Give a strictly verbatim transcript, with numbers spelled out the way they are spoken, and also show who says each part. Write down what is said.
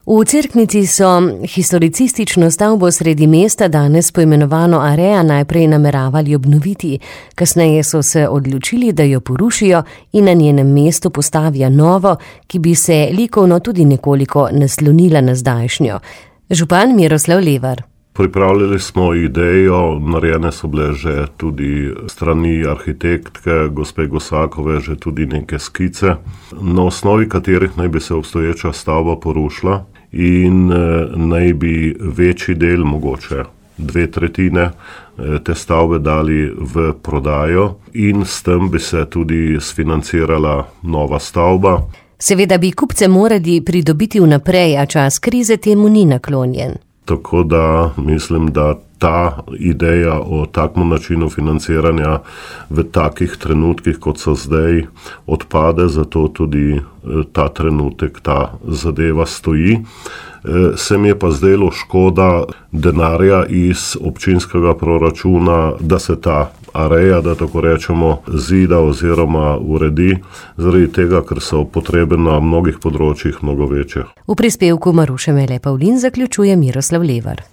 Speaker 1: V Cerknici so historicistično stavbo sredi mesta, danes poimenovano Area, najprej nameravali obnoviti. Kasneje so se odločili, da jo porušijo in na njenem mestu postavijo novo, ki bi se likovno tudi nekoliko naslonila na zdajšnjo. Župan Miroslav Levar.
Speaker 2: Pripravljali smo idejo, narejene so bile že tudi strani arhitektke, gospe Gosakove, že tudi neke skice, na osnovi katerih naj bi se obstoječa stavba porušila in naj bi večji del, mogoče dve tretjine te stavbe dali v prodajo in s tem bi se tudi sfinancirala nova stavba.
Speaker 1: Seveda bi kupce morali pridobiti vnaprej, a čas krize temu ni naklonjen.
Speaker 2: Tako da mislim, da ta ideja o takem načinu financiranja v takih trenutkih, kot so zdaj, odpade, zato tudi ta trenutek, ta zadeva stoji. Se mi je pa zdelo škoda denarja iz občinskega proračuna, da se ta Area, da tako rečemo, zida oziroma uredi, zaradi tega, ker so potrebe na mnogih področjih mnogo večje.
Speaker 1: V prispevku Maruše Mele Pavlin zaključuje Miroslav Levar.